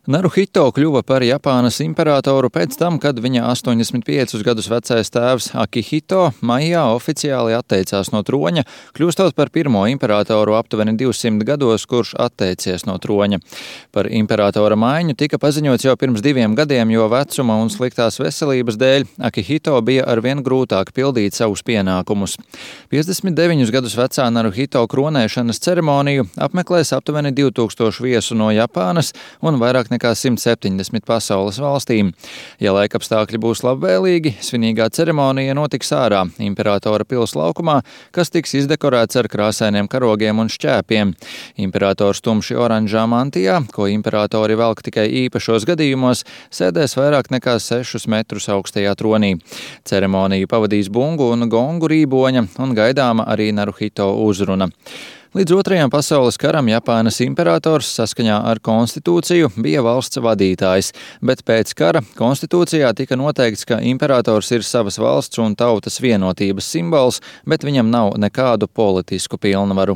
Naruhito kļuva par Japānas imperatoru pēc tam, kad viņa 85 gadus vecais tēvs Akihito maijā oficiāli atteicās no troņa, kļūstot par pirmo imperatoru aptuveni 200 gados, kurš atteicies no troņa. Par imperatora maiņu tika paziņots jau pirms 2 gadiem, jo vecuma un sliktās veselības dēļ Akihito bija arvien grūtāk pildīt savus pienākumus. 59 gadus vecā Naruhito kronēšanas ceremoniju apmeklēs aptuveni 2000 viesu no Japānas un vairāk nekā 170 pasaules valstīm. Ja laikapstākļi būs labvēlīgi, svinīgā ceremonija notiks ārā imperatora pils laukumā, kas tiks izdekorēts ar krāsainiem karogiem un šķēpiem. Imperators tumši oranžā mantijā, ko imperatori velk tikai īpašos gadījumos, sēdēs vairāk nekā 6 metrus augstajā tronī. Ceremoniju pavadīs bungu un gongu rīboņa un gaidāma arī Naruhito uzruna. Līdz Otrajam pasaules karam Japānas imperators saskaņā ar konstitūciju bija valsts vadītājs, bet pēc kara konstitūcijā tika noteikts, ka imperators ir savas valsts un tautas vienotības simbols, bet viņam nav nekādu politisku pilnvaru.